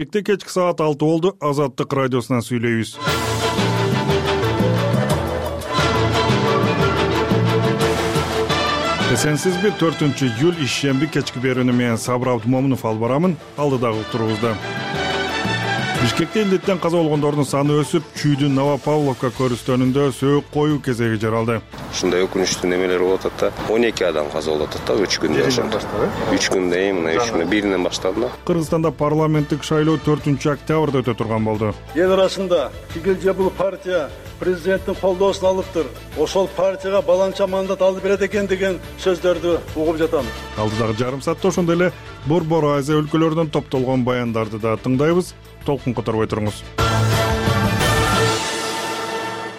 Кечки саат 6 болду. Азаттык радиосунан сүйлөйбүз. Эсенсизби 4-июль ишемби кечки берүүнү менен Сабыр Абдумомунов алып барамын. Алдыдагы турубузда. Бишкекте илдеттен каза болгондордун саны өсүп, Чүйдүн Новопавловка көрүстөнүндө сөөк коюу кезеги жаралды. Ушундай өкүнүчтүү немелер болуп атат да. 12 адам каза болуп атат да 3 күндө ошондо. 3 күндө мына 3 күндө биринен башталды да. Кыргызстанда парламенттик шайлоо 4-октябрда өтө турган болду. Эл арасында тигил же бул партия президенттин колдоосун алыптыр. Ошол партияга баланча мандат алып берет экен деген сөздөрдү угуп жатам. Алдыдагы жарым саатта ошондой эле Борбор Азия өлкөлөрүнөн топтолгон баяндарды да тыңдайбыз. Толкун которбой туруңуз.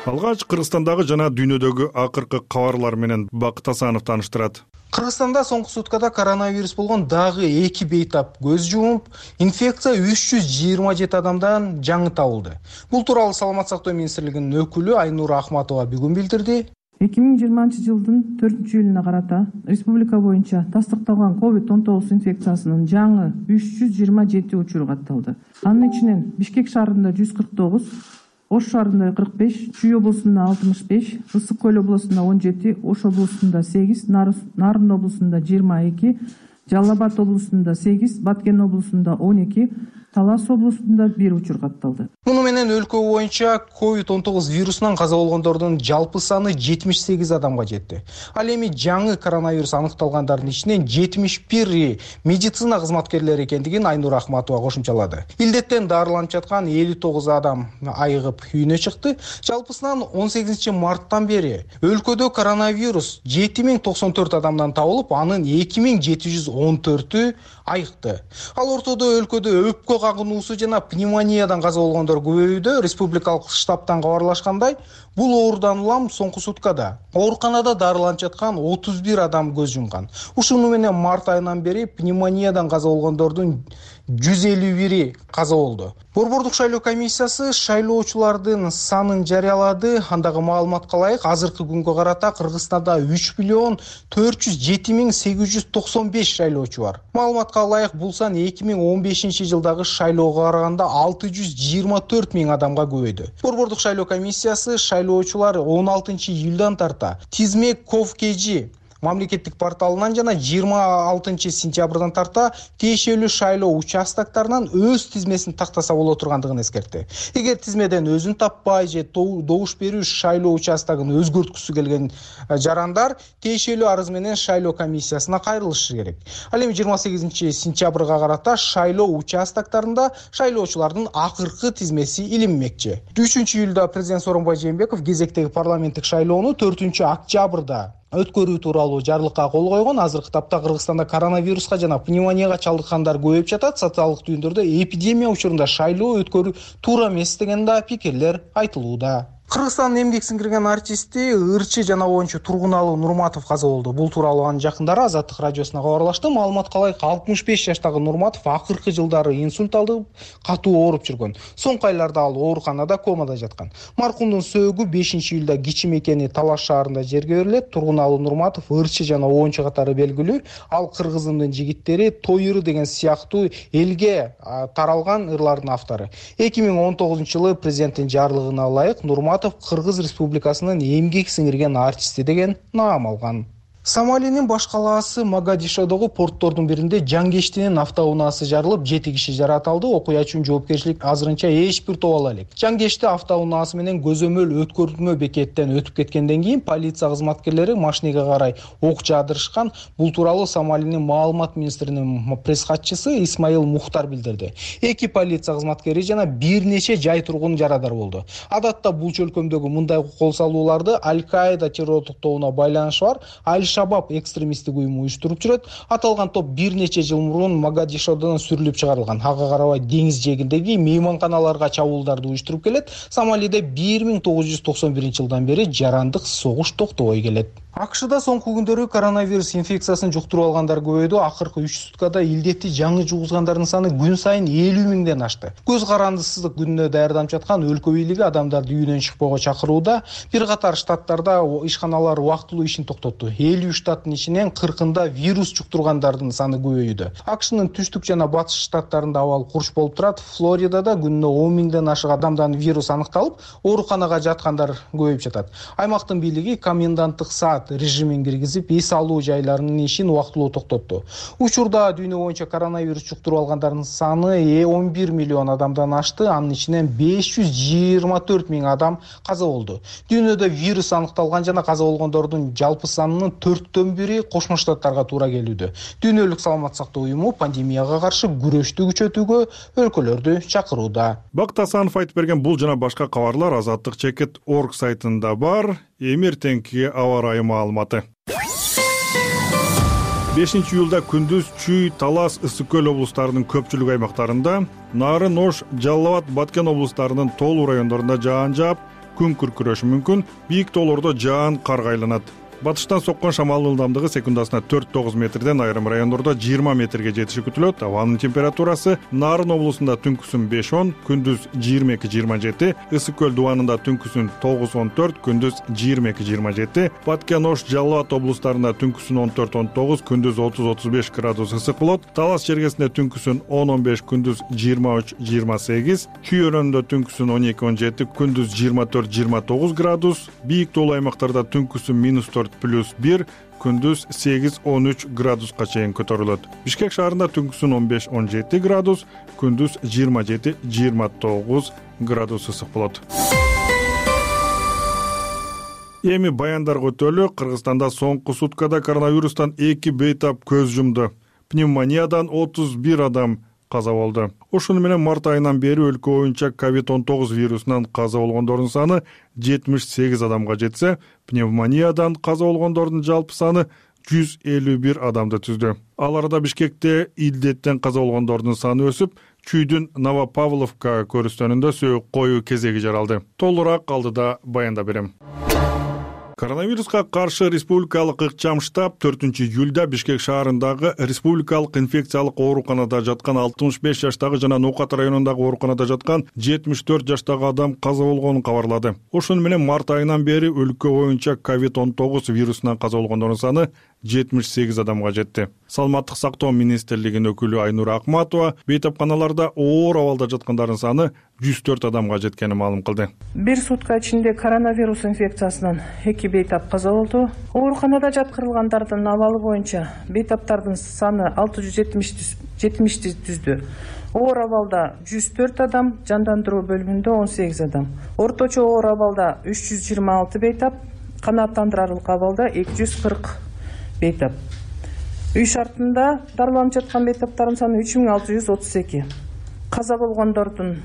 Алгач Кыргызстандагы жана дүйнөдөгү акыркы кабарлар менен Бакыт Асанов тааныштырат. Кыргызстанда соңку суткада коронавирус болгон дагы 2 бейтап көз жумуп, инфекция 327 адамдан жаңы табылды. Бул тууралуу Саламат сактоо министрлигинин өкүлү Айнура Ахматова бүгүн билдирди. 2020-жылдын 4-июлуна карата республика боюнча тастыкталган COVID-19 инфекциясынын жаңы 327 учуру катталды. Анын ичинен Бишкек шаарында 149, Ош шаарында 45, Чүй облусунда 65, Ысык Көл облусунда 17, Ош облусунда 8, Нарын облусунда 22, Жалал Абад облусунда 8, Баткен облусунда 12, Талас облусунда 1 учур катталды. Муну менен өлкө боюнча COVID-19 вирусунан каза болгондордун жалпы саны 78 адамга жетти. Ал эми жаңы коронавирус аныкталгандардын ичинен 71 медицина кызматкерлери экендигин Айнура Ахматова кошумчалады. Илдеттен дарыланып жаткан 59 адам айыгып үйүнө чыкты. Жалпысынан 18 марттан бери өлкөдө коронавирус 7094 адамдан табылып, анын 2714-ü айыкты. Ал ортодо өлкөдө өпкө кагынуусу жана пневмониядан каза болгондор көбөйүүдө. Республикалык штабтан кабарлашкандай, бул оорудан улам соңку суткада ооруканада дарыланып жаткан 31 адам көз жумган. Ушуну менен март айынан бери пневмониядан каза болгондордун 151 каза болду. Борбордук шайлоо комиссиясы шайлоочулардын санын жарыялады. Андагы маалыматка ылайык, азыркы күнгө карата Кыргызстанда 3.478.895 шайлоочу бар. Маалыматка ылайык, бул сан 2015-жылдагы шайлоого караганда 624.000 адамга көбөйдү. Борбордук шайлоо комиссиясы шайлоочулар 16-июлдан тарта Тизме Ковкежи мамлекеттик порталынан жана 26-сентябрдан тарта тиешелүү шайлоо участоктарынан өз тизмесин тактаса боло тургандыгын эскертти. Эгер тизмеден өзүн таппай же добуш берүү шайлоо участогун өзгөрткүсү келген жарандар тиешелүү арыз менен шайлоо комиссиясына кайрылышы керек. Ал эми 28-сентябрга карата шайлоо участоктарында шайлоочулардын акыркы тизмеси илинмекчи. 3-июлда президент Сооронбай Жээнбеков кезектеги парламенттик шайлоону 4-октябрда өткөрүү тууралуу жарлыкка кол койгон. Азыркы тапта Кыргызстанда коронавируска жана пневмонияга чалдыккандар көбөйүп жатат. Социалдык түйүндөрдө эпидемия учурунда шайлоо өткөрүү туура эмес деген да пикирлер айтылууда. Кыргызстандын эмгек сиңирген артисти ырчы жана оюнчу Тургуналы Нурматов каза болду. Бул тууралуу анын жакындары Азаттык радиосуна кабарлашты. Маалыматка ылайык, 65 жаштагы Нурматов акыркы жылдары инсульт алып, катуу ооруп жүргөн. Соңку айларда ал ооруканада, комада жаткан. Маркумдун сөөгү 5-июлда Кичи мекени Талаш шаарында жерге берилет. Тургуналы Нурматов ырчы жана оюнчу катары белгилүү. Ал Кыргызымдын жигиттери, Той ыры деген сыяктуу элге таралган ырлардын автору. 2019-жылы президенттин жарлыгына ылайык Нурматов Кыргыз Республикасынын эмгек сиңирген артисти деген наам алган. Сомалинин баш калаасы Могадишодогу порттордун биринде Жангештинин автоунаасы жарылып, 7 киши жаратылды. Окуя үчүн жоопкерчилик азырынча эч бир тоба элек. Жангешти автоунаасы менен көзөмөл өткөрүлмө бекеттен өтүп кеткенден кийин полиция кызматкерлери машинеге карай ок жаадырышкан. Бул тууралуу Сомалинин маалымат министринин пресс катчысы Исмаил Мухтар билдирди. 2 полиция кызматкери жана бир нече жай тургун жарадар болду. Адатта бул чөлкөмдөгү мындай кол салууларды Аль-Каида террорлук тобуна байланышы бар Аль-Шабаб экстремисттик уюму уюштуруп жүрөт. Аталган топ бир нече жыл мурун Могадишодон сүрүлүп чыгарылган. Ага карабай деңиз жээгиндеги мейманканаларга чабуулдарды уюштуруп келет. Сомалиде 1991-жылдан бери жарандык согуш токтобой келет. АКШда соңку күндөрү коронавирус инфекциясын жуктуруп алгандар көбөйдү. Акыркы 3 суткада илдетти жаңы жугузгандардын саны күн сайын 50 миңден ашты. Көз карандысыздык күнүнө даярданып жаткан өлкө бийлиги адамдарды үйүнөн чыкпоого чакырууда. Бир катар штаттарда ишканалар убактылуу ишин токтотту. 50 штаттын ичинен 40-ында вирус жуктургандардын саны көбөйдү. АКШнын түштүк жана батыш штаттарында абал курч болуп турат. Флоридада күнүнө 10 миңден ашык адамдан вирус аныкталып, ооруканага жаткандар көбөйүп жатат. Аймактын бийлиги коменданттык саат режимин киргизип, эс алуу жайларынын ишин убактылуу токтотту. Учурда дүйнө боюнча коронавирус жуктуруп алгандардын саны 11 миллион адамдан ашты. Анын ичинен 524 миң адам каза болду. Дүйнөдө вирус аныкталган жана каза болгондордун жалпы санынын 4/1 Кошмо Штаттарга туура келүүдө. Дүйнөлүк саламаттык сактоо уюму пандемияга каршы күрөштү күчөтүүгө өлкөлөрдү чакырууда. Бакыт Асанов айтып берген бул жана башка кабарлар azatlik.org сайтында бар. Эмертеңки аба ырайы маалыматы. 5 июлда күндүз Чүй, Талас, Ысык көл облустарынын көпчүлүк аймактарында, Нарын, Ош, Жалал Абад, Баткен облустарынын тоолуу райондорунда жаан жаап, күн күркүрөшү мүмкүн. Бийик тоолордо жаан карга айланат. Батыштан соккон шамалдын ылдамдыгы секундасына 4-9 метрден, айрым райондордо 20 метрге жетиши күтүлөт. Абанын температурасы Нарын облусунда түнкүсүн 5-10, күндүз 22-27, Ысык көл дубанында түнкүсүн 9-14, күндүз 22-27, Баткен, Ош, Жалал Абад облустарында түнкүсүн 14-19, күндүз 30-35 градус ысык болот. Талас чергесинде түнкүсүн 10-15, күндүз 23-28, Чүй өрөөнүндө түнкүсүн 12-17, күндүз 24-29 градус, бийик тоолуу аймактарда түнкүсүн -4+1, күндүз 8-13 градуска чейин көтөрүлөт. Бишкек шаарында түнкүсүн 15-17 градус, күндүз 27-29 градус ысык болот. Эми баяндарга өтөлү. Кыргызстанда соңку суткада коронавирустан 2 бейтап көз жумду. Пневмониядан 31 адам каза болду. Ошону менен март айынан бери өлкө боюнча COVID-19 вирусунан каза болгондордун саны 78 адамга жетсе, пневмониядан каза болгондордун жалпы саны 151 адамды түздү. Ал арада Бишкекте илдеттен каза болгондордун саны өсүп, Чүйдүн Новопавловка көрүстөнүндө сөөк коюу кезеги жаралды. Толураак алдыда баянда берем. Коронавируска каршы республикалык ыкчам штаб 4-июлда Бишкек шаарындагы республикалык инфекциялык ооруканада жаткан 65 жаштагы жана Нокат районундагы ооруканада жаткан 74 жаштагы адам каза болгонун кабарлады. Ошону менен март айынан бери өлкө боюнча COVID-19 вирусунан каза болгондордун саны 78 адамга жетти. Саламаттык сактоо министрлигинин өкүлү Айнура Акматова бейтапканаларда оор абалда жаткандардын саны 104 адамга жеткенин маалым кылды. Бир сутка ичинде коронавирус инфекциясынан 2 бейтап каза болду. Ооруканада жаткырылгандардын абалы боюнча бейтаптардын саны 670 түздү. Оор абалда 104 адам, жандандыруу бөлүмүндө 18 адам. Орточо оор абалда 326 бейтап, канааттандырарлык абалда 240 бейтап. Үй шартында дарыланып жаткан бейтаптардын саны 3632. Каза болгондордун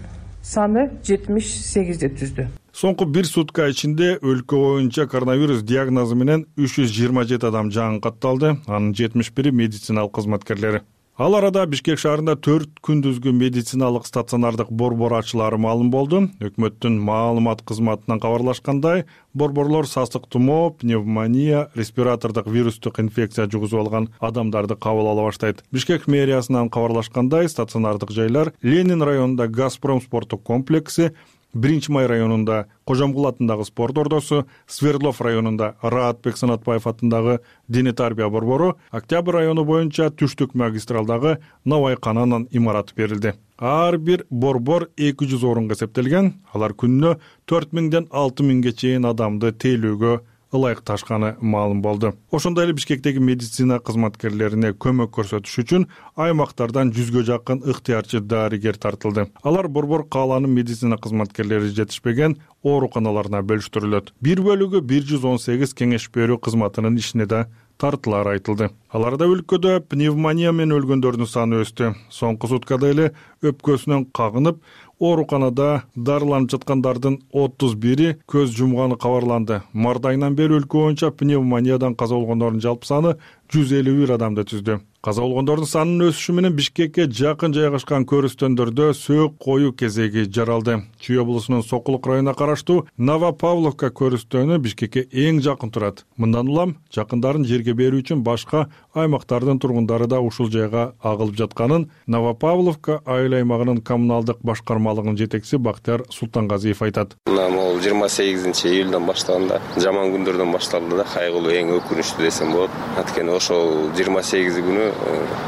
саны 78 түздү. Соңку бир сутка ичинде өлкө боюнча коронавирус диагнозу менен 327 адам жаан катталды. Анын 71-и медициналык кызматкерлери. Ал арада Бишкек шаарында 4 күндүзгү медициналык стационардык борбор ачылары маалым болду. Өкмөттүн маалымат кызматынан кабарлашкандай, борборлор сасык тумоо, пневмония, респиратордук вирустук инфекция жугузуп алган адамдарды кабыл ала баштайт. Бишкек мэриясынан кабарлашкандай, стационардык жайлар Ленин районунда Газпром спорттук комплекси, 1-Май районунда Кожомгул атындагы спорт ордосу, Свердлов районунда Раатбек Санатбаев атындагы дене тарбия борбору, Октябрь району боюнча Түштүк магистралдагы Навайкананын имараты берилди. Ар бир борбор 200 орунга эсептелген. Алар күнүнө 4000ден 6000ге чейин адамды тейлөөгө ылайыкташканы маалым болду. Ошондой эле Бишкектеги медицина кызматкерлерине көмөк көрсөтүш үчүн аймактардан 100гө жакын ыктыярчы дарыгер тартылды. Алар борбор кааланын медицина кызматкерлери жетишпеген ооруканаларына бөлүштүрүлөт. Бир бөлүгү 118 кеңеш берүү кызматынын ишине да тартылары айтылды. Аларда өлкөдө пневмония менен өлгөндөрдүн саны өстү. Соңку суткада эле өпкөсүнөн кагынып, ооруканада дарыланып жаткандардын 31-и көз жумганы кабарланды. Март айынан бери өлкө боюнча пневмониядан каза болгондордун жалпы саны 151 адамды түздү. Каза болгондордун санынын өсүшү менен Бишкекке жакын жайгашкан көрүстөндөрдө сөөк коюу кезеги жаралды. Чүй облусунун Сокулук районуна караштуу Новопавловка көрүстөнү Бишкекке эң жакын турат. Мындан улам жакындарын жерге берүү үчүн башка аймактардын тургундары да ушул жайга агылып жатканын Новопавловка айыл аймагынын коммуналдык башкармалыгынын жетекчиси Бактияр Султангазиев айтат. Могул 28-июлдан баштаганда жаман күндөрдөн башталды да, кайгылуу, эң өкүнүчтүү десем болот. Анткени ошол 28 күнү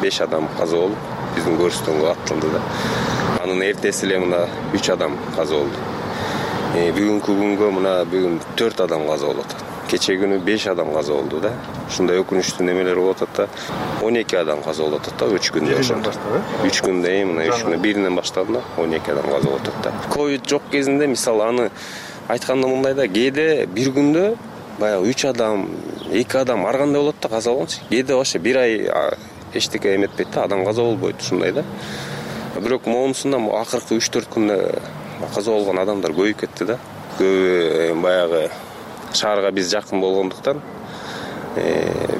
5 адам каза болуп, биздин көрүстөнгө аттылды да. Анын эртеси эле мына 3 адам каза болду. Бүгүнкү күнгө мына бүгүн 4 адам каза болуп атат. Кече күнү 5 адам каза болду да. Ушундай өкүнүчтүү немелер болуп атат да. 12 адам каза болуп атат да 3 күндө ошондо. 3 күндө мына 3 күндө биринен башталды да 12 адам каза болуп атат да. Ковид жок кезинде мисалы аны айтканда мындай да, кээде бир күндө баягы 3 адам, 2 адам ар кандай болот да каза болгончу. Кээде вообще бир ай эчтеке эметпейт да, адам каза болбойт ушундай да. Бирок моунусунда акыркы 3-4 күндө каза болгон адамдар көбөйүп кетти да. Көбү баягы шаарга биз жакын болгондуктан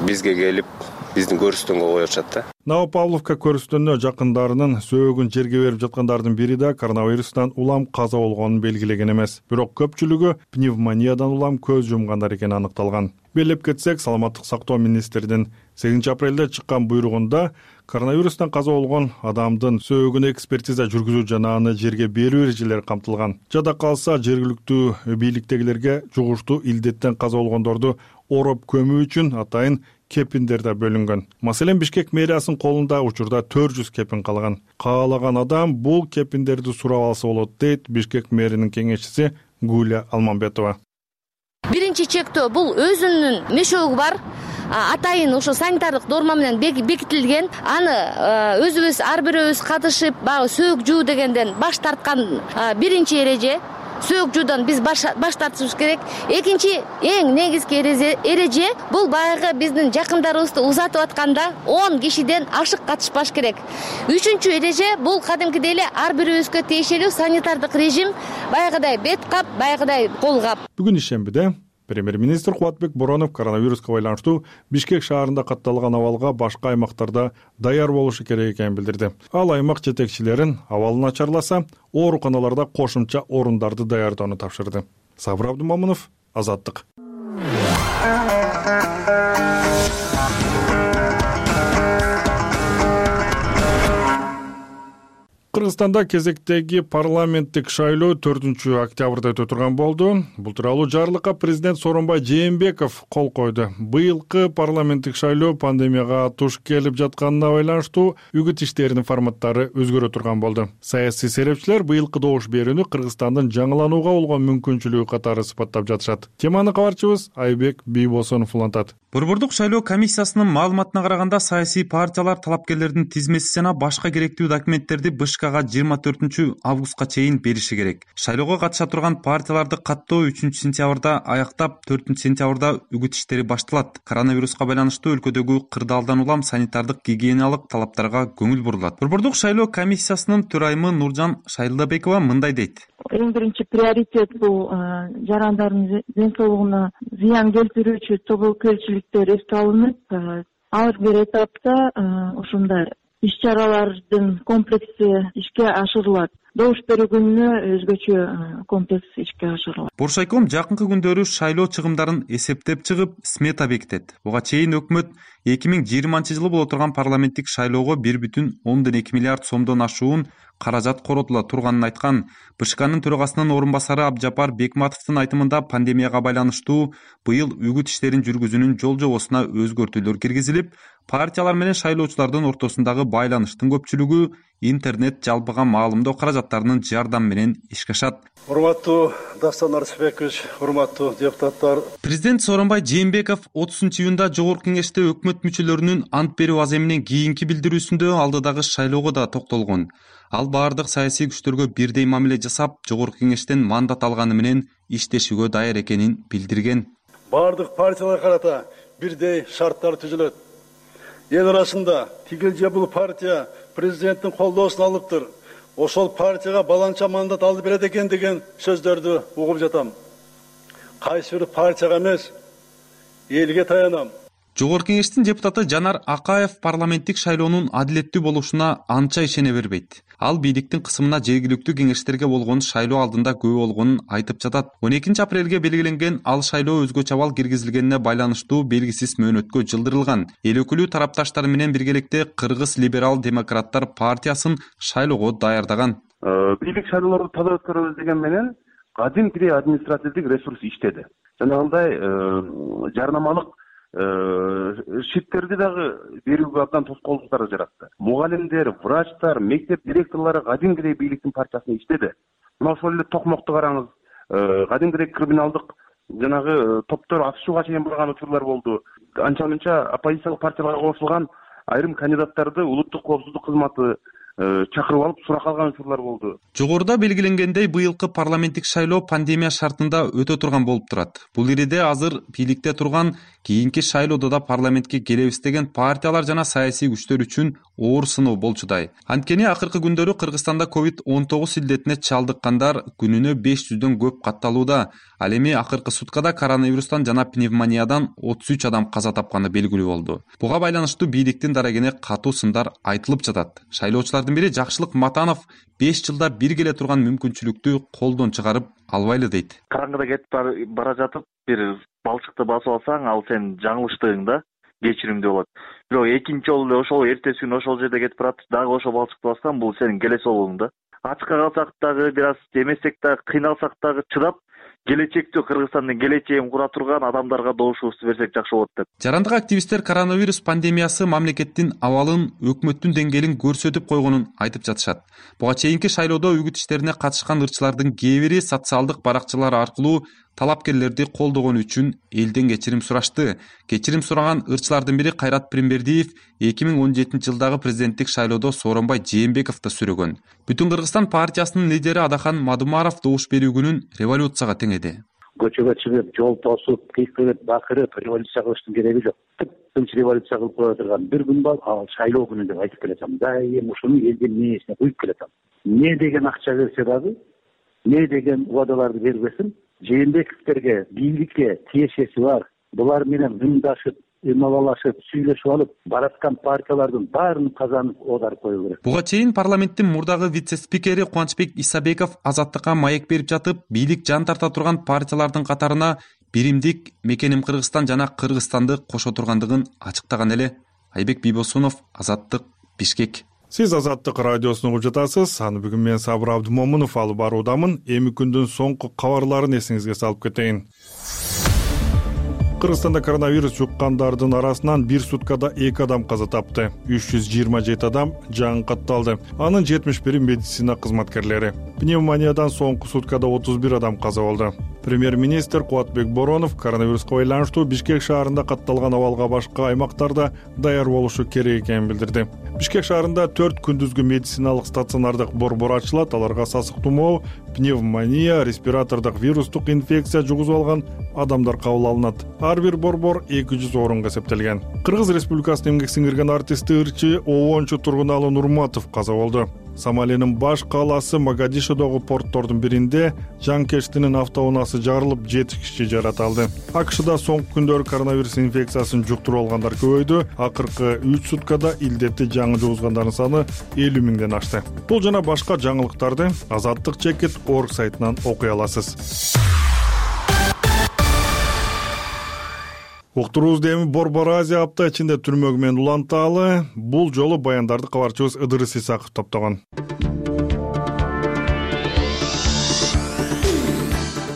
бизге келип биздин көрүстөнгө коюшат да. Новопавловка көрүстөнүнө жакындарынын сөөгүн жерге берип жаткандардын бири да коронавирустан улам каза болгонун белгилеген эмес. Бирок көпчүлүгү пневмониядан улам көз жумгандар экени аныкталган. Белеп кетсек, саламаттык сактоо министринин 8 апрелде чыккан буйругунда коронавирустан каза болгон адамдын сөөгүнө экспертиза жүргүзүү жана аны жерге берүү эрежелери камтылган. Жада калса жергиликтүү бийликтегилерге жугуштуу илдеттен каза болгондорду ороп көмүү үчүн атайын кепиндер да бөлүнгөн. Маселен, Бишкек мэриясынын колунда учурда 400 кепин калган. Каалаган адам бул кепиндерди сурап алса болот, дейт Бишкек мэринин кеңешчиси Гуля Алмамбетова. Биринчи чектөө бул өзүнүн мешогу бар. Атайын ошо санитардык норма менен бекитилген. Аны өзүбүз ар бирөөбүз катышып, баягы сөөк жуу дегенден баш тарткан биринчи эреже. Сөөк жуудан биз баш тартышыбыз керек. Экинчи эң негизги эреже бул баягы биздин жакындарыбызды узатып атканда 10 кишиден ашык катышпаш керек. Үчүнчү эреже бул кадимкидей эле ар бирөөбүзгө тиешелүү санитардык режим, баягыдай бет кап, баягыдай кол кап. Бүгүн ишембиде премьер-министр Кубатбек Боронов коронавируска байланыштуу Бишкек шаарында катталган абалга башка аймактарда даяр болушу керек экенин билдирди. Ал аймак жетекчилерин абал начарласа, ооруканаларда кошумча орундарды даярдоону тапшырды. Сабыр Абдумомунов, Азаттык. Кыргызстанда кезектеги парламенттик шайлоо 4-октябрда өтө турган болду. Бул тууралуу жарлыкка президент Сооронбай Жээнбеков кол койду. Быйылкы парламенттик шайлоо пандемияга туш келип жатканына байланыштуу үгүт иштеринин форматтары өзгөрө турган болду. Саясий серепчилер быйылкы добуш берүүнү Кыргызстандын жаңыланууга болгон мүмкүнчүлүгү катары сыпаттап жатышат. Теманы кабарчыбыз Айбек Бийбосонов улантат. Борбордук шайлоо комиссиясынын маалыматына караганда, саясий партиялар талапкерлердин тизмеси жана башка керектүү документтерди БШКга 24 августка чейин бериши керек. Шайлоого катыша турган партияларды каттоо 3-сентябрда аяктап, 4-сентябрда үгүт иштери башталат. Коронавируска байланыштуу өлкөдөгү кырдаалдан улам санитардык гигиеналык талаптарга көңүл бурулат. Борбордук шайлоо комиссиясынын төрайымы Нуржан Шайлдабекова мындай дейт. Эң биринчи приоритет бул жарандардын ден соолугуна зыян келтирүүчү тобокелчиликтер эске алынып, ар бир этапта ушундай иш-чаралардын комплекси ишке ашырылат. Добуш берүү күнүнө өзгөчө комплекс ишке ашырылат. Боршайком жакынкы күндөрү шайлоо чыгымдарын эсептеп чыгып, смета бекитет. Буга чейин өкмөт 2020-жылы боло турган парламенттик шайлоого 1,2 миллиард сомдон ашуун каражат коротула турганын айткан. БШКнын төрагасынын орун басары Абжапар Бекматовдун айтымында пандемияга байланыштуу быйыл үгүт иштерин жүргүзүүнүн жол-жобосуна өзгөртүүлөр киргизилип, партиялар менен шайлоочулардын ортосундагы байланыштын көпчүлүгү интернет жалпыга маалымдоо каражаттарынын жардамы менен ишке ашат. Урматтуу Дастан Арсбекович, урматтуу депутаттар. Президент Сооронбай Жээнбеков 30-июнда Жогорку Кеңеште өкмөт мүчөлөрүнүн ант берүү аземинен кийинки билдирүүсүндө алдыдагы шайлоого да токтолгон. Ал баардык саясий күчтөргө бирдей мамиле жасап, Жогорку Кеңештен мандат алганы менен иштешүүгө даяр экенин билдирген. Баардык партияларга карата бирдей шарттар түзүлөт. Эл арасында тигил же бул партия президенттин колдоосун алыптыр. Ошол партияга баланча мандат алып берет экен деген сөздөрдү угуп жатам. Кайсы бир партияга эмес, элге таянам. Жогорку кеңештин депутаты Жанар Акаев парламенттик шайлоонун адилеттүү болушуна анча ишене бербейт. Ал бийликтин кысымына жергиликтүү кеңештерге болгон шайлоо алдында күбө болгонун айтып жатат. 12 апрелге белгиленген ал шайлоо өзгөчө абал киргизилгенине байланыштуу белгисиз мөөнөткө жылдырылган. Эл өкүлү тарапташтары менен биргеликте Кыргыз либерал-демократтар партиясын шайлоого даярдаган. Бийлик шайлоолорду таза өткөрөбүз деген менен кадимкидей административдик ресурс иштеди. Жанагындай жарнамалык шиттерди дагы берүүгө абдан тоскоолдуктар жаратты. Мугалимдер, врачтар, мектеп директорлору кадимкидей бийликтин партиясына иштеди. Мына ошол эле токмокту караңыз. Кадимкидей криминалдык жанагы топтор атышууга чейин барган учурлар болду. Анча-мынча оппозициялык партияларга кошулган айрым кандидаттарды улуттук коопсуздук кызматы чакырып алып сурак алган учурлар болду. Жогоруда белгиленгендей быйылкы парламенттик шайлоо пандемия шартында өтө турган болуп турат. Бул ириде азыр бийликте турган кийинки шайлоодо да парламентке келебиз деген партиялар жана саясий күчтөр үчүн оор сыноо болчудай. Анткени акыркы күндөрү Кыргызстанда COVID-19 илдетине чалдыккандар күнүнө 500дөн көп катталууда. Ал эми акыркы суткада коронавирустан жана пневмониядан 33 адам каза тапканы белгилүү болду. Буга байланыштуу бийликтин дарегине катуу сындар айтылып жатат. Шайлоочулардын бири Жакшылык Матанов 5 жылда бир келе турган мүмкүнчүлүктү колдон чыгарып албайлы дейт. Караңгыда кетип бара жатып бир балчыкты басып алсаң, ал сен жаңылыштыгыңда кечиримдүү болот. Бирок экинчи жолу эле ошол эртеси күнү ошол жерде кетип барат, дагы ошол балчыкты бассаң, бул сенин келесолугуң да. Ачка калсак дагы, бир аз эмесек дагы, кыйналсак дагы чыдап, келечекте Кыргызстандын келечегин кура турган адамдарга добушубузду берсек жакшы болот деп. Жарандык активисттер коронавирус пандемиясы мамлекеттин абалын, өкмөттүн деңгээлин көрсөтүп койгонун айтып жатышат. Буга чейинки шайлоодо үгүт иштерине катышкан ырчылардын кээ бири социалдык баракчалар аркылуу талапкерлерди колдогону үчүн элден кечирим сурашты. Кечирим сураган ырчылардын бири Кайрат Пиримбердиев 2017 жылдагы президенттик шайлоодо Сооронбай Жээнбековду сүрөгөн. Бүтүн Кыргызстан партиясынын лидери Адахан Мадумаров добуш берүү күнүн революцияга теңеди. Көчөгө чыгып, жол тосуп, кыйкырып, бакырып революция кылыштын кереги жок. Тынч революция кылып кое турган бир күн бар, ал шайлоо күнү деп айтып келатам. Дайым ушуну элдин мээсине куюп келатам. Не деген акча берсе дагы, не деген убадаларды бербесин, Жээнбековдерге, бийликке тиешеси бар. Булар менен муңдашып, ималалашып, сүйлөшүп алып, бараткан партиялардын баарын казанып оодарып коюу керек. Буга чейин парламенттин мурдагы вице-спикери Кубанычбек Исабеков азаттыкка маек берип жатып, бийлик жан тарта турган партиялардын катарына биримдик Мекеним Кыргызстан жана Кыргызстанды кошо тургандыгын ачыктаган эле. Айбек Бийбосунов, Азаттык, Бишкек. Сиз Азаттык радиосун угуп жатасыз. Аны бүгүн мен Сабыр Абдымомунов алып баруудамын. Эми күндүн соңку кабарларын эсиңизге салып кетейин. Кыргызстанда коронавирус жуккандардын арасынан бир суткада 2 адам каза тапты. 327 адам жаңы Анын 71 медицина кызматкерлери. Пневмониядан соңку суткада 31 адам каза болду. Премьер-министр Кубатбек Боронов коронавируска байланыштуу Бишкек шаарында катталган абалга башка аймактарда даяр болушу керек экенин билдирди. Бишкек шаарында 4 күндүзгү медициналык стационардык борбор ачылат. Аларга сасык тумоо, пневмония, респиратордук вирустук инфекция жугузуп алган адамдар кабыл алынат. Ар бир борбор 200 орунга эсептелген. Кыргыз Республикасынын эмгек сиңирген артисти ырчы Обончу Тургуналы Нурматов каза болду. Сомалиянын баш калаасы Могадишодогу порттордун биринде жанкештинин автоунаасы жарылып 7 киши жаратылды. АКШда соңку күндөрү коронавирус инфекциясын жуктуруп алгандар көбөйдү. Акыркы 3 суткада илдетти жаңы жугузгандардын саны 50 миңден ашты. Бул жана башка жаңылыктарды Азаттык.org сайтынан окуй аласыз. Уктуруубузду эми Борбор Азия апта ичинде түрмөгү менен уланталы. Бул жолу баяндарды кабарчыбыз Ыдырыс Исаков топтогон.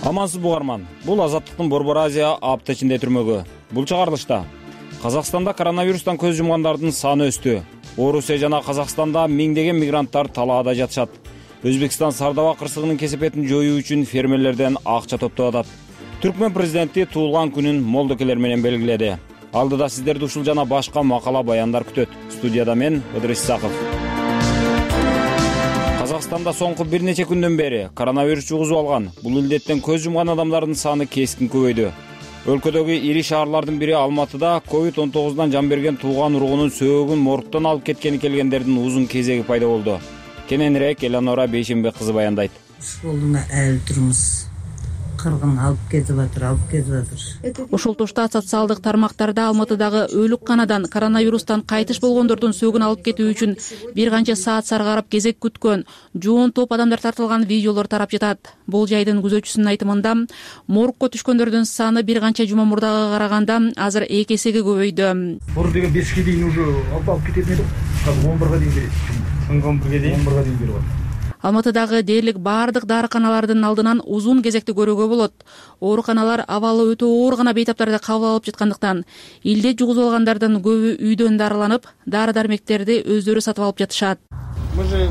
Амансыз бугарман. Бул Азаттыктын Борбор Азия апта ичинде түрмөгү. Бул чыгарылышта Казакстанда коронавирустан көз жумгандардын саны өстү. Орусия жана Казакстанда миңдеген мигранттар талаада жатышат. Өзбекстан Сардаба кырсыгынын кесепетин жоюу үчүн фермерлерден акча топтоп атат. Түркмөн президенти туулган күнүн молдокелер менен белгиледи. Алдыда сиздерди ушул жана башка макала баяндар күтөт. Студияда мен Ыдырыс Исаков. Казакстанда соңку бир нече күндөн бери коронавирус жугузуп алган, бул илдеттен көз жумган адамдардын саны кескин көбөйдү. Өлкөдөгү ири шаарлардын бири Алматыда COVID-19дан жан берген тууган ургунун сөөгүн моргтон алып кеткени келгендердин узун кезеги пайда болду. Кененирээк Эланора Бейшембек кызы баяндайт. Ушул эле турмуз. кыргын алып кетип атыр. Ошол тошта социалдык тармактарда Алматыдагы өлүк канадан коронавирустан кайтыш болгондордун сөөгүн алып кетүү үчүн бир канча саат саргарап кезек күткөн жоон топ адамдар тартылган видеолор тарап жатат. Бул жайдын күзөтчүсүнүн айтымында моргко түшкөндөрдүн саны бир канча жума мурдага караганда азыр 2 эсеге көбөйдү. Мурун деген 5ке дейин уже алып кетет эле. Азыр 11га дейин берет. 11ге дейин берип атат. Алматыдагы дээрлик баардык дарыканалардын алдынан узун кезекти көрүүгө болот. Ооруканалар абалы өтө оор гана бейтаптарды кабыл алып жаткандыктан илде жугузуп алгандардын көбү үйдөн дарыланып, дары-дармектерди өздөрү сатып алып жатышат. Мы же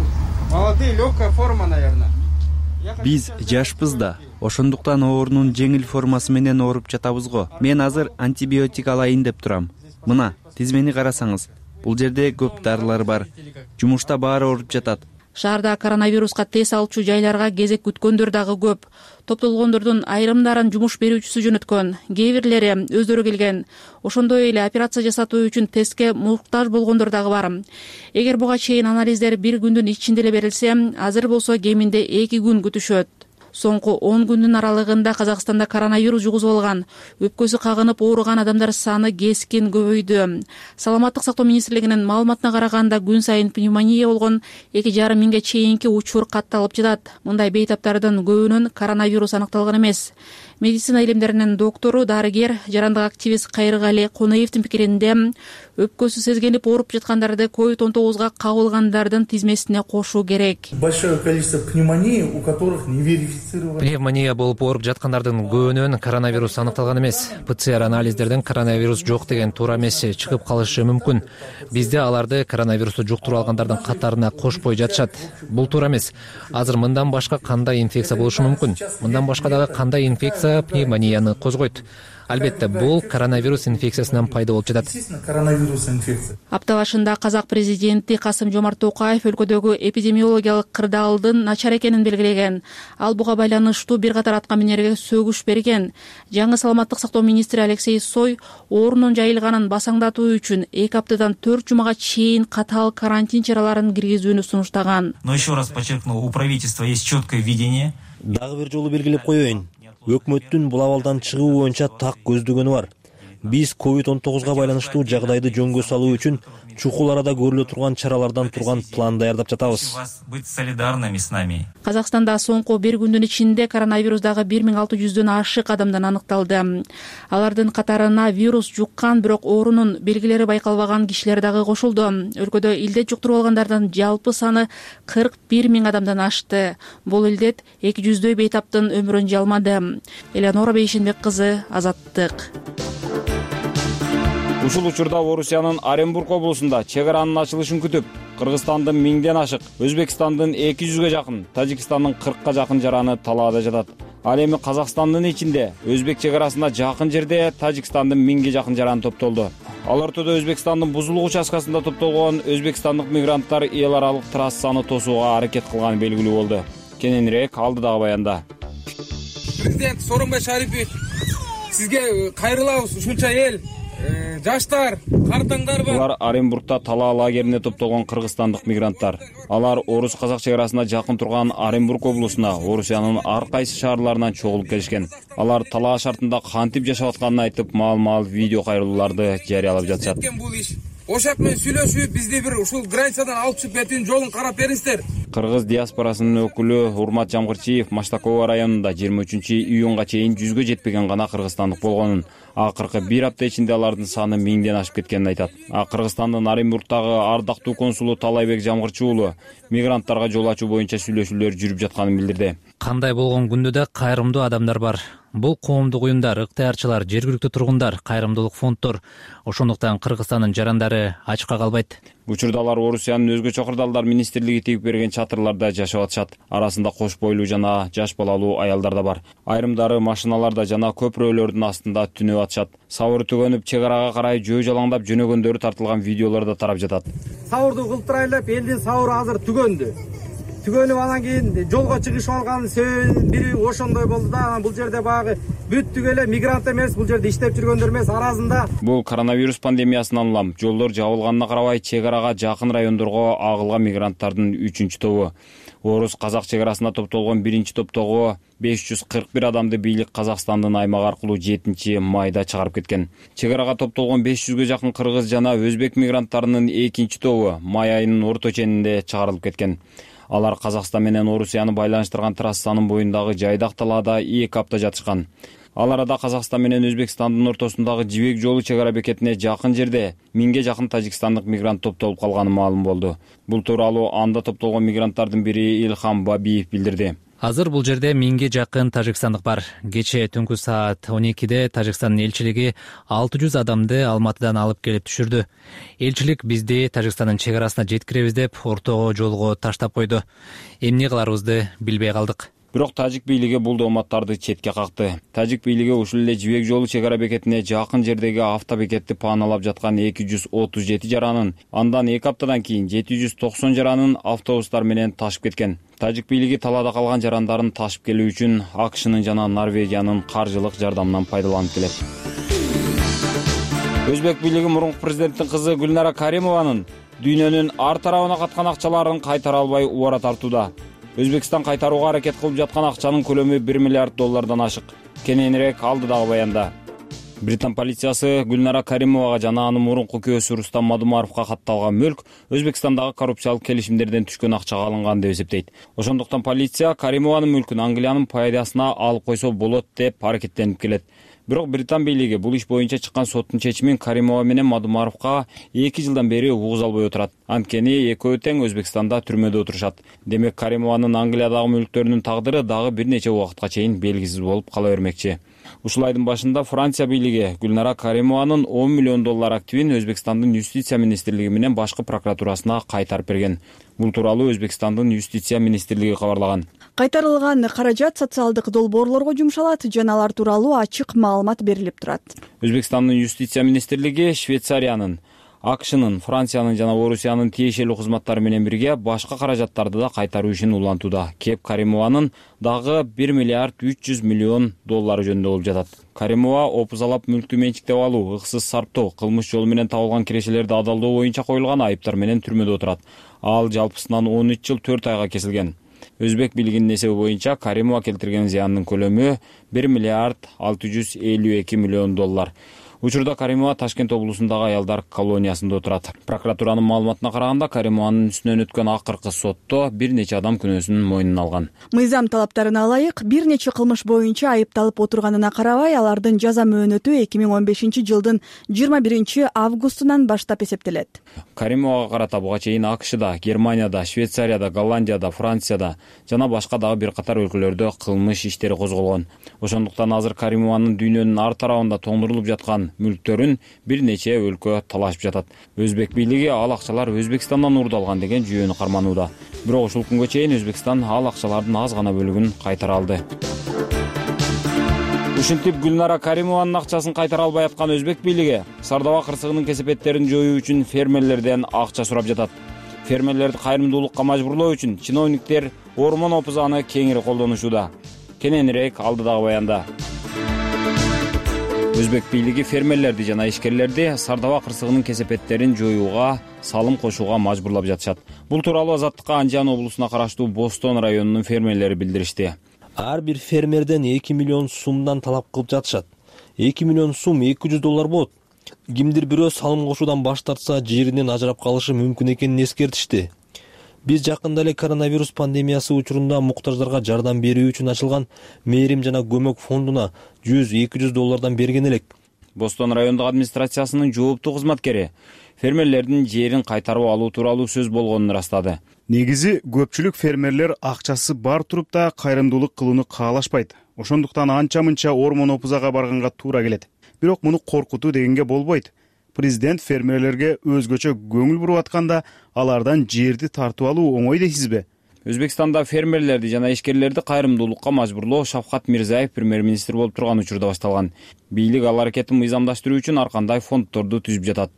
молодые, легкая форма, наверное. Биз жашпыз да, ошондуктан оорунун жеңил формасы менен ооруп жатабыз го. Мен азыр антибиотик алайын деп турам. Мына, тизмени карасаңыз, бул жерде көп дарылар бар. Жумушта баары ооруп жатат. Шаарда коронавируска тест алчу жайларга кезек күткөндөр дагы көп. Топтолгондордун айрымдарын жумуш берүүчүсү жөнөткөн, кээ бирлери өздөрү келген. Ошондой эле операция жасатуу үчүн тестке муктаж болгондор дагы бар. Эгер буга чейин анализдер бир күндүн ичинде эле берилсе, азыр болсо кеминде 2 күн күтүшөт. Соңку 10 күндүн аралыгында Казакстанда коронавирус жугузуп алган, өпкөсү кагынып ооруган адамдар саны кескин көбөйдү. Саламаттык сактоо министрлигинин маалыматына караганда күн сайын пневмония болгон 2,5 миңге чейинки учур катталып жатат. Мындай бейтаптардын көбүнөн коронавирус аныкталган эмес. Медицина илимдеринин доктору, дарыгер, жарандык активист Кайрыгали Конеевдин пикиринде, өпкөсү сезгенип ооруп жаткандарды COVID-19га кабылгандардын тизмесине кошуу керек. Большое количество пневмонии, у которых не верифицировано. Пневмония болуп ооруп жаткандардын көбүнөн коронавирус аныкталган эмес. ПЦР анализдерден коронавирус жок деген туура эмес чыгып калышы мүмкүн. Бизде аларды коронавирусту жуктуруп алгандардын катарына кошпой жатышат. Бул туура эмес. Азыр мындан башка кандай инфекция болушу мүмкүн? Мындан башка дагы кандай инфекция пневмонияны козгойт? Албетте, бул коронавирус инфекциясынан пайда болуп жатат. Апта башында Казак президенти Касым-Жомарт Токаев өлкөдөгү эпидемиологиялык кырдаалдын начар экенин белгилеген. Ал буга байланыштуу бир катар атка минерге сөгүш берген. Жаңы саламаттык сактоо министри Алексей Сой оорунун жайылганын басаңдатуу үчүн 2 аптадан 4 жумага чейин катаал карантин чараларын киргизүүнү сунуштаган. Но еще раз подчеркну, у правительства есть четкое видение. Дагы бир жолу белгилеп коеюн. Өкмөттүн бул абалдан чыгуу боюнча так көздөгөнү бар. Биз COVID-19га байланыштуу жагдайды жөнгө салуу үчүн чукул арада көрүлө турган чаралардан турган план даярдап жатабыз. Быть солидарными с нами. Казакстанда соңку бир күндүн ичинде коронавирусдагы 1600дөн ашык адамдан аныкталды. Алардын катарына вирус жуккан, бирок оорунун белгилери байкалбаган кишилер дагы кошулду. Өлкөдө илдет жуктуруп алгандардын жалпы саны 41 миң адамдан ашты. Бул илдет 200дөй бейтаптын өмүрүн жалмады. Элеонора Бейшенбек кызы, Азаттык. Ушул учурда Орусиянын Оренбург облусунда чек аранын ачылышын күтүп, Кыргызстандын 1000ден ашык, Өзбекстандын 200ге жакын, Тажикстандын 40ка жакын жараны талаада жатат. Ал эми Казакстандын ичинде Өзбек чек арасына жакын жерде Тажикстандын 1000ге жакын жараны топтолду. Ал ортодо Өзбекстандын бузулук участкасында топтолгон өзбекстандык мигранттар эл аралык трассаны тосууга аракет кылганы белгилүү болду. Кененирээк алдыдагы баянда. Президент Сооронбай Шарипович, сизге кайрылабыз, ушунча эл, жаштар, картаңдар бар. Алар Оренбургда талаа лагерине топтолгон кыргызстандык мигранттар. Алар Орус-Казак чек арасына жакын турган Оренбург облусуна, Орусиянын ар кайсы шаарларынан чогулуп келишкен. Алар талаа шартында кантип жашап атканын айтып, маал-маал видео кайрылууларды жарыялап жатышат. Ошак менен сүйлөшүп, бизди бир ушул границадан алып чыгып кетүүнүн жолун карап бериңиздер. Кыргыз диаспорасынын өкүлү Урмат Жамгырчиев Маштакова районунда 23-июнга чейин 100ге жетпеген гана кыргызстандык болгонун, акыркы бир апта ичинде алардын саны 1000ден ашып кеткенин айтат. Кыргызстандын Оренбургдагы ардактуу консулу Талайбек Жамгырчы уулу мигранттарга жол ачуу боюнча сүйлөшүүлөр жүрүп жатканын билдирди. Кандай болгон күндө да кайрымдуу адамдар бар. Бул коомдук уюмдар, ыктыярчылар, жергиликтүү тургундар, кайрымдуулук фонддор. Ошондуктан Кыргызстандын жарандары ачка калбайт. Учурда алар Орусиянын өзгөчө кырдаалдар министрлиги тигип берген чатырларда жашап атышат. Арасында кош бойлуу жана жаш балалуу аялдар да бар. Айрымдары машиналарда жана көпүрөлөрдүн астында түнөп атышат. Сабыр түгөнүп, чек арага карай жөө жалаңдап жөнөгөндөрү тартылган видеолор да тарап жатат. Сабырды кылтырайлап, элдин сабыры азыр түгөндү. Түгөнүп анан кийин жолго чыгышып алганын себеби бири ошондой болду да, анан бул жерде баягы бүттүк эле мигрант эмес, бул жерде иштеп жүргөндөр эмес, аразында. Бул коронавирус пандемиясынан улам жолдор жабылганына карабай чек арага жакын райондорго агылган мигранттардын 3-тобу. Орус казак чек арасында топтолгон биринчи топтогу 541 адамды бийлик Казакстандын аймагы аркылуу 7-майда чыгарып кеткен. Чек арага топтолгон 500гө жакын кыргыз жана өзбек мигранттарынын экинчи тобу май айынын орто ченинде чыгарылып кеткен. Алар Казакстан менен Орусияны байланыштырган трассанын боюндагы жайдак талаада 2 апта жатышкан. Ал арада Казакстан менен Өзбекстандын ортосундагы жибек жолу чек ара бекетине жакын жерде 1000ге жакын тажикстандык мигрант топтолуп калганы маалым болду. Бул тууралуу анда топтолгон мигранттардын бири Илхам Бабиев билдирди. Азыр бул жерде 1000ге жакын тажикстандык бар. Кечээ түнкү саат 12-де Тажикстандын элчилиги 600 адамды Алматыдан алып келип түшүрдү. Элчилик бизди Тажикстандын чек арасына жеткиребиз деп ортого жолго таштап койду. Эмне кыларыбызды билбей калдык. Бирок тажик бийлиги бул дооматтарды четке какты. Тажик бийлиги ушул эле жибек жолу чек ара бекетине жакын жердеги автобекетти пааналап жаткан 237 жаранын, андан 2 аптадан кийин 790 жаранын автобустар менен ташып кеткен. Тажик бийлиги талаада калган жарандарын ташып келүү үчүн АКШнын жана Норвегиянын каржылык жардамынан пайдаланып келет. Өзбек бийлиги мурунку президенттин кызы Гүлнара Каримованын дүйнөнүн ар тарабына каткан акчаларын кайтара албай убара тартууда. Өзбекстан кайтарууга аракет кылып жаткан акчанын көлөмү 1 миллиард доллардан ашык. Кененирээк алдыдагы баянда. Британ полициясы Гүлнара Каримовага жана анын мурунку күйөөсү Рустам Мадумаровго катталган мүлк Өзбекстандагы коррупциялык келишимдерден түшкөн акчага алынган деп эсептейт. Ошондуктан полиция Каримованын мүлкүн Англиянын пайдасына алып койсо болот деп аракеттенип келет. Бирок Британ бийлиги бул иш боюнча чыккан соттун чечимин Каримова менен Мадумаровго 2 жылдан бери угуз албай отурат. Анткени экөө тең Өзбекстанда түрмөдө отурушат. Демек Каримованын Англиядагы мүлктөрүнүн тагдыры дагы бир нече убакытка чейин белгисиз болуп кала бермекчи. Ушул айдын башында Франция бийлиги Гүлнара Каримованын 10 миллион доллар активин Өзбекстандын юстиция министрлиги менен башкы прокуратурасына кайтарып берген. Бул тууралуу Өзбекстандын юстиция министрлиги кабарлаган. Кайтарылган каражат социалдык долбоорлорго жумшалат жана алар тууралуу ачык маалымат берилип турат. Өзбекстандын юстиция министрлиги Швейцариянын, АКШнын, Франциянын жана Орусиянын тиешелүү кызматтары менен бирге башка каражаттарды да кайтаруу ишин улантууда. Кеп Каримованын дагы 1 миллиард 300 миллион доллары жөнүндө болуп жатат. Каримова опузалап мүлктү менчиктеп алуу, ыксыз сарптоо, кылмыш жолу менен табылган кирешелерди адалдоо боюнча коюлган айыптар менен түрмөдө отурат. Ал жалпысынан 13 жыл 4 айга кесилген. Өзбек бийлигинин эсеби боюнча Каримова келтирген зыяндын көлөмү 1 миллиард 652 миллион доллар. Учурда Каримова Ташкент облусундагы аялдар колониясында отурат. Прокуратуранын маалыматына караганда Каримованын үстүнөн өткөн акыркы сотто бир нече адам күнөөсүн мойнуна алган. Мыйзам талаптарына ылайык бир нече кылмыш боюнча айыпталып отурганына карабай, алардын жаза мөөнөтү 2015 жылдын 21 августунан баштап эсептелет. Каримовага карата буга чейин АКШда, Германияда, Швейцарияда, Голландияда, Францияда жана башка дагы бир катар өлкөлөрдө кылмыш иштери козголгон. Ошондуктан азыр Каримованын дүйнөнүн ар тарабында тоңдурулуп жаткан мүлктөрүн бир нече өлкө талашып жатат. Өзбек бийлиги ал акчалар Өзбекстандан уурдалган деген жүйөнү карманууда. Бирок ушул күнгө чейин Өзбекстан ал акчалардын аз гана бөлүгүн кайтара алды. Ушинтип Гүлнара Каримованын акчасын кайтара албай аткан Өзбек бийлиги Сардаба кырсыгынын кесепеттерин жоюу үчүн фермерлерден акча сурап жатат. Фермерлерди кайрымдуулукка мажбурлоо үчүн чиновниктер ормон опузаны кеңири колдонушууда. Кененирээк алдыдагы баянда. Өзбек бийлиги фермерлерди жана ишкерлерди Сардаба кырсыгынын кесепеттерин жоюуга салым кошууга мажбурлап жатышат. Бул тууралуу Азаттыкка Анжан облусуна караштуу Бостон районунун фермерлери билдиришти. Ар бир фермерден 2 миллион сумдан талап кылып жатышат. 2 миллион сум 200 доллар болот. Кимдир бирөө салым кошуудан баш тартса, жеринен ажырап калышы мүмкүн экенин эскертишти. Биз жакында эле коронавирус пандемиясы учурунда муктаждарга жардам берүү үчүн ачылган мээрим жана көмөк фондуна 100-200 доллардан берген элек. Бостон райондук администрациясынын жооптуу кызматкери фермерлердин жерин кайтарып алуу тууралуу сөз болгонун ырастады. Негизи көпчүлүк фермерлер акчасы бар туруп да кайрымдуулук кылууну каалашпайт. Ошондуктан анча-мынча ормон опузага барганга туура келет. Бирок муну коркутуу дегенге болбойт. Президент фермерлерге өзгөчө көңүл буруп атканда алардан жерди тартып алуу оңой дейсизби? Өзбекстанда фермерлерди жана ишкерлерди кайрымдуулукка мажбурлоо Шавкат Мирзиев премьер-министр болуп турган учурда башталган. Бийлик ал аракетин мыйзамдаштыруу үчүн ар кандай фонддорду түзүп жатат.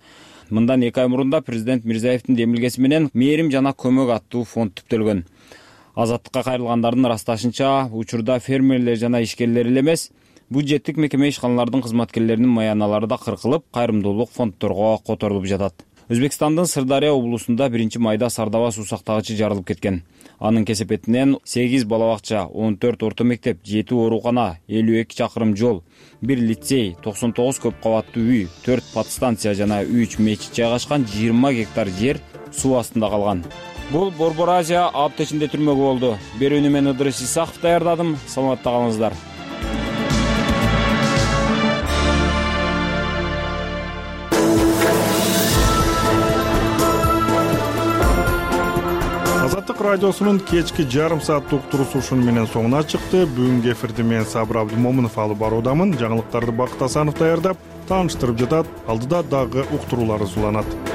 Мындан 2 ай мурунда президент Мирзиевдин демилгеси менен мээрим жана көмөк аттуу фонд түптөлгөн. Азаттыкка кайрылгандардын ырасташынча, учурда фермерлер жана ишкерлер эле эмес, бюджеттик мекеме ишканалардын кызматкерлеринин маяналары да кыркылып, кайрымдуулук фонддорго которулуп жатат. Өзбекстандын Сырдария облусунда 1 майда Сардаба суу сактагычы жарылып кеткен. Анын кесепетинен 8 бала бакча, 14 орто мектеп, 7 оорукана, 52 чакырым жол, 1 лицей, 99 көп кабаттуу үй, 4 подстанция жана 3 мечит жайгашкан 20 гектар жер суу астында калган. Бул Борбор Азия апта ичинде түрмөгү болду. Берүүнү мен Ыдырыс Исаков даярдадым. Саламатта калыңыздар. Азаттык радиосунун кечки жарым сааттык уктуруусу ушуну менен соңуна чыкты. Бүгүнкү эфирди мен Сабыр Абдымомунов алып баруудамын. Жаңылыктарды Бакыт Асанов даярдап, тааныштырып жатат. Алдыда дагы уктуруулар уланат.